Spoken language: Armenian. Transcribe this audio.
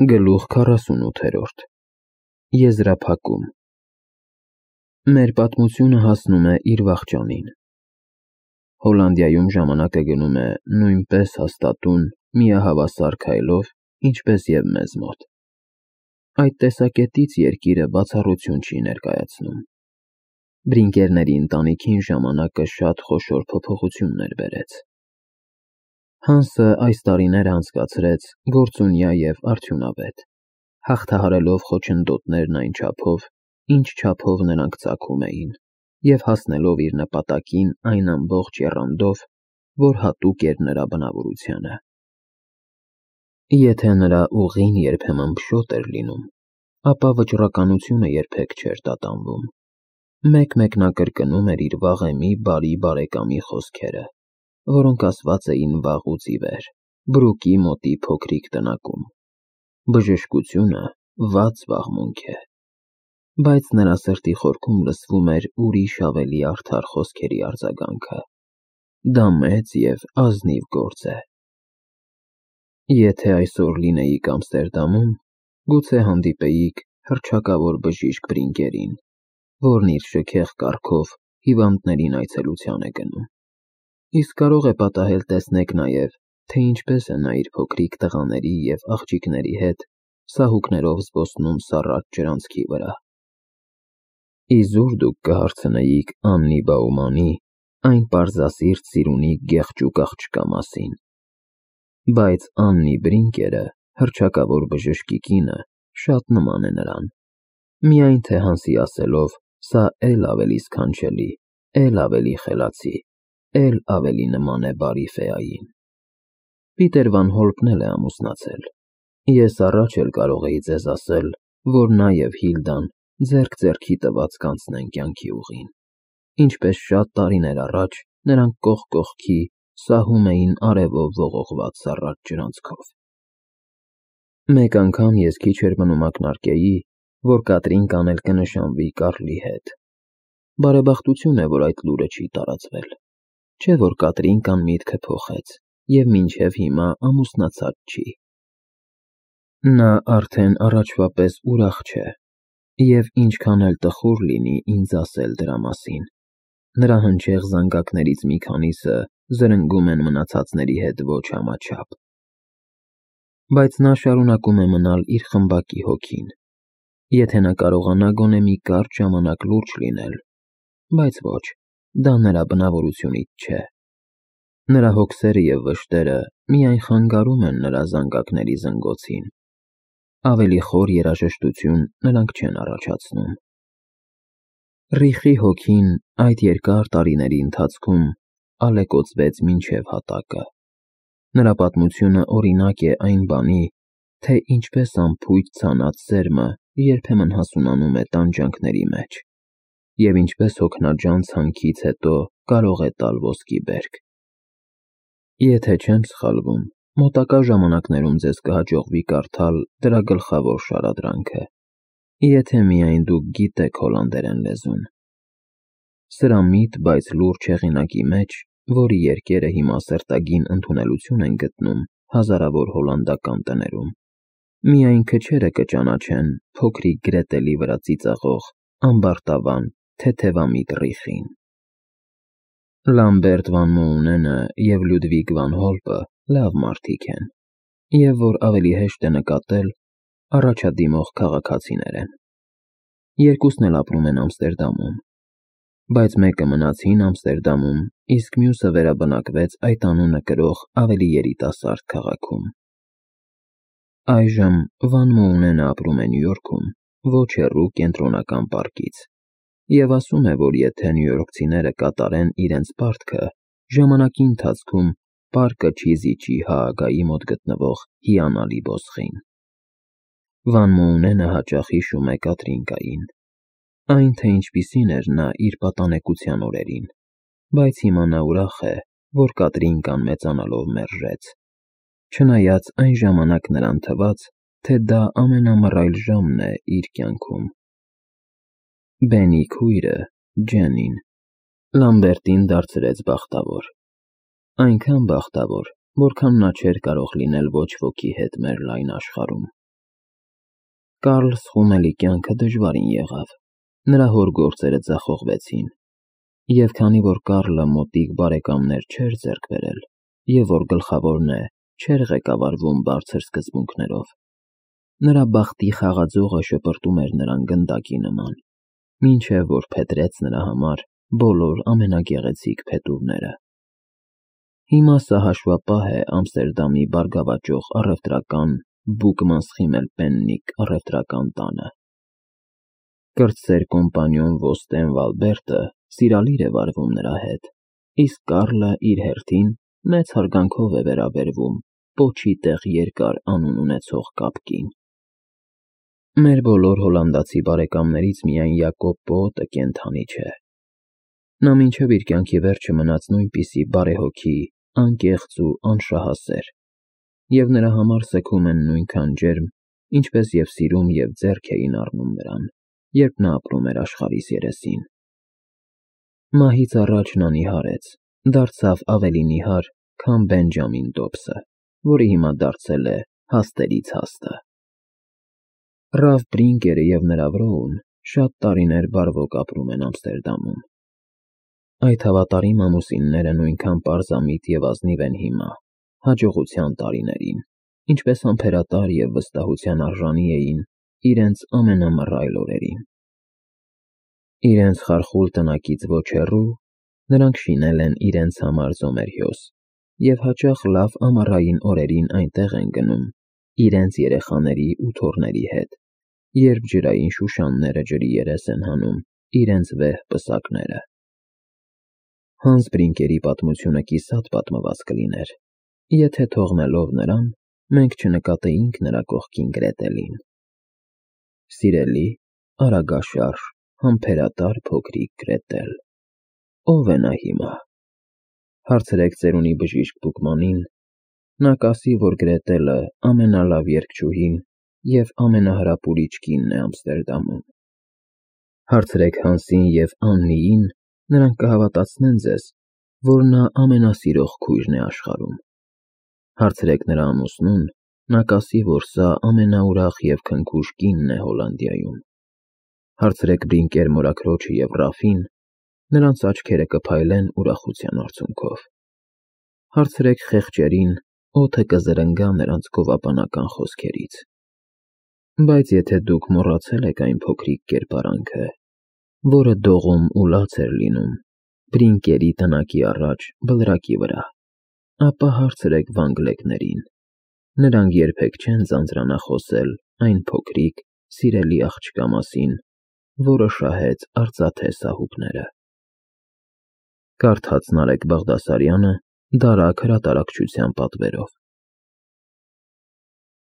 Գլուխ 48 Եզրափակում Մեր պատմությունը հասնում է իր վախճանին։ Հոլանդիայում ժամանակը գնում է նույնպես հաստատուն, միահավասար քայլով, ինչպես և մեզ մոտ։ Այդ տեսակետից երկիրը բացառություն չի ներկայացնում։ Բրինկերների ընտանիքին ժամանակը շատ խոշոր փոփոխություններ բերեց։ Հանսը այս տարիները անցկացրեց գործունյա և արդյունավետ, հաղթահարելով խոչընդոտներն այն չափով, ինչ չափով նրանք ծագում էին, և հասնելով իր նպատակին այն ամբողջ եռանդով, որ հատուկ էր նրա բնավորությանը։ Եթե նրա ուղին երբեմն փշոտ էր լինում, ապա վճռականությունը երբեք չէր տատանվում։ Մեկ-մեկ նա կրկնում էր իր վաղեմի բարի բարեկամի խոսքերը, որոնք ասված էին վաղուց ի վեր, Բրուկի մոտի փոքրիկ տնակում. բժշկությունը վատ զբաղմունք է։ Բայց նրա սրտի խորքում լսվում էր ուրիշ ավելի արդար խոսքերի արձագանքը. դա մեծ և ազնիվ գործ է։ Եթե այսօր լինեիք Ամստերդամում, գուցե հանդիպեիք հռչակավոր բժիշկ Բրինկերին, որն իր շքեղ կառքով հիվանդներին այցելության է գնում։ Իսկ կարող է պատահել տեսնեք նաև, թե ինչպես է նա իր փոքրիկ տղաների և աղջիկների հետ սահուկներով զբոսնում սառած ջրանցքի վրա։ Իզուր դուք կհարցնեիք Աննի Բաումանի, այն պարզասիրտ ծիրունի գեղջուկ աղջկա մասին։ Բայց Աննի Բրինկերը, հռչակավոր բժշկի կինը, շատ նման է նրան։ Միայն թե Հանսի ասելով, սա էլ ավելի սքանչելի, էլ ավելի խելացի, էլ ավելի նման է բարի ֆեային։ Պիտեր Վան Հոլպն էլ է ամուսնացել։ Ես առաջ էլ կարող էի ձեզ ասել, որ նա և Հիլդան ձեռք ձեռքի տված կանցնեն կյանքի ուղին, ինչպես շատ տարիներ առաջ նրանք կողք կողքի սահում էին արևով ողողված սառած ջրանցքով։ Մեկ անգամ ես քիչ էր մնում ակնարկեի, որ Կատրինկան էլ կնշանվի Կարլի հետ։ Բարեբախտություն է, որ այդ լուրը չի տարածվել, չէ՞ որ Կատրինկան միտքը փոխեց և մինչև հիմա ամուսնացած չի։ Նա արդեն առաջվա պես ուրախ չէ, և ինչքան էլ տխուր լինի ինձ ասել դրա մասին, նրա հնչեղ զանգակներից մի քանիսը զրնգում են մնացածների հետ ոչ համաչափ։ Բայց նա շարունակում է մնալ իր խմբակի հոգին, եթե նա կարողանա գոնե մի կարճ ժամանակ լուրջ լինել, բայց ոչ, դա նրա բնավորությունից չէ։ Նրա հոգսերը և վշտերը միայն խանգարում են նրա զանգակների զնգոցին։ Ավելի խոր երաժշտություն նրանք չեն առաջացնում։ Ռիխի հոգին այդ երկար տարիների ընթացքում ալեկոծվեց մինչև հատակը։ Նրա պատմությունը օրինակ է այն բանի, թե ինչպես անփույթ ցանած սերմը երբեմն հասունանում է տանջանքների մեջ, և ինչպես հոգնաջան ցանքից հետո կարող է տալ ոսկի բերք։ Եթե չեմ սխալվում, մոտակա ժամանակներում ձեզ կհաջողվի կարդալ դրա գլխավոր շարադրանքը, եթե միայն դուք գիտեք հոլանդերեն լեզուն։ Սրամիտ, բայց լուրջ հեղինակի մեջ, որի երկերը հիմա սերտագին ընդունելություն են գտնում հազարավոր հոլանդական տներում, միայն քչերը կճանաչեն փոքրիկ Գրետելի վրա ծիծաղող ամբարտավան թեթևամիտ Ռիխին։ Լամբերտ Վան Մոունենը և Լյուդվիգ Վան Հոլպը լավ մարդիկ են, և որ ավելի հեշտ է նկատել, առաջադիմող քաղաքացիներ են։ Երկուսն էլ ապրում են Ամստերդամում, բայց մեկը մնաց հին Ամստերդամում, իսկ մյուսը վերաբնակվեց այդ անունը կրող ավելի երիտասարդ քաղաքում։ Այժմ Վան Մոունենը ապրում է Նյու Յորքում, ոչ հեռու Կենտրոնական պարկից, և ասում է, որ եթե նյույորքցիները կատարեն իրենց պարտքը, ժամանակի ընթացքում պարկը չի զիջի Հաագայի մոտ գտնվող հիանալի ոսկին։ Վան Մոունենը հաճախ հիշում է Կատրինկային, այն, թե ինչպիսին էր նա իր պատանեկության օրերին, բայց հիմա նա ուրախ է, որ Կատրինկան մեծանալով մերժեց, չնայած այն ժամանակ նրան թվաց, թե դա ամենամռայլ ժամն է իր կյանքում։ Բենի քույրը՝ Ջենին, Լամբերտին դարձրեց բախտավոր։ Այնքան բախտավոր, որքան նա չէր կարող լինել ոչ ոքի հետ մեր լայն աշխարհում։ Կարլ Սխումելի կյանքը դժվարին եղավ, նրա հոր գործերը ձախողվեցին, և քանի որ Կարլը մոտիկ բարեկամներ չէր ձեռք բերել, և որ գլխավորն է, չէր ղեկավարվում բարձր սկզբունքներով, նրա բախտի խաղաձողը շպրտում էր նրան գնդակի նման, մինչև որ փետրեց նրա համար բոլոր ամենագեղեցիկ փետուրները։ Հիմա սա հաշվապահ է Ամստերդամի բարգավաճող առևտրական Բուկմանսխիմել-Պեննիկ առևտրական տանը։ Կրտսեր կոմպանիոն Ոստեն Վալբերտը սիրալիր է վարվում նրա հետ, իսկ Կարլը իր հերթին մեծ հարգանքով է վերաբերվում պոչի տեղ երկար անուն ունեցող կապկին։ Մեր բոլոր հոլանդացի բարեկամներից միայն Յակոբ Պոոտը կենդանի չէ։ Նա մինչև իր կյանքի վերջը մնաց նույնպիսի բարեհոգի, անկեղծ ու անշահասեր, և նրա համար սգում են նույնքան ջերմ, ինչպես և սիրում և ձեռք էին առնում նրան, երբ նա ապրում էր աշխարհիս երեսին։ Մահից առաջ նա նիհարեց, դարձավ ավելի նիհար, քան Բենջամին Դոբսը, որը հիմա դարձել է հաստերից հաստը։ Ռալֆ Բրինկերը և նրա վրոն շատ տարիներ բարվոք ապրում են Ամստերդամում։ Այդ հավատարիմ ամուսինները նույնքան պարզամիտ և ազնիվ են հիմա, հաջողության տարիներին, ինչպես համբերատար և վստահության արժանի էին իրենց ամենամռայլ օրերին։ Իրենց խարխուլ տնակից ոչ հեռու նրանք շինել են իրենց համար զոմերհյոս և հաճախ լավ ամառային օրերին այնտեղ են գնում իրենց երեխաների ու թոռների հետ, երբ ջրային շուշանները ջրի երես են հանում իրենց վեհ պսակները։ Հանս Բրինկերի պատմությունը կիսատ պատմված կլիներ, եթե թողնելով նրան, մենք չնկատեինք նրա կողքին Գրետելին։ Սիրելի, արագաշարժ, համբերատար փոքրիկ Գրետել, ո՞վ է նա հիմա։ Հարցրեք ծերունի բժիշկ Բուկմանին, նա կասի, որ Գրետելը ամենալավ երգչուհին և ամենահրապուրիչ կինն է Ամստերդամում։ Հարցրեք Հանսին և Աննիին, նրանք կհավատացնեն ձեզ, որ նա ամենասիրող քույրն է աշխարհում։ Հարցրեք նրա ամուսնուն, նա կասի, որ սա ամենաուրախ և քնքուշ կինն է Հոլանդիայում։ Հարցրեք Բրինկեր մորաքրոջը և Ռաֆին, նրանց աչքերը կփայլեն ուրախության արցունքով։ Հարցրեք խեղճերին, օդը կզրնգա նրանց գովաբանական խոսքերից։ Բայց եթե դուք մոռացել եք այն փոքրիկ կերպարանքը, որը դողում ու լաց էր լինում Բրինկերի տնակի առաջ բլրակի վրա, ապա հարցրեք վանգլեկներին, նրանք երբեք չեն ձանձրանա խոսել այն փոքրիկ, սիրելի աղջկա մասին, որը շահեց արծաթե սահուկները։ Կարդաց Նարեկ Բաղդասարյանը «Դարակ» հրատարակչության պատվերով։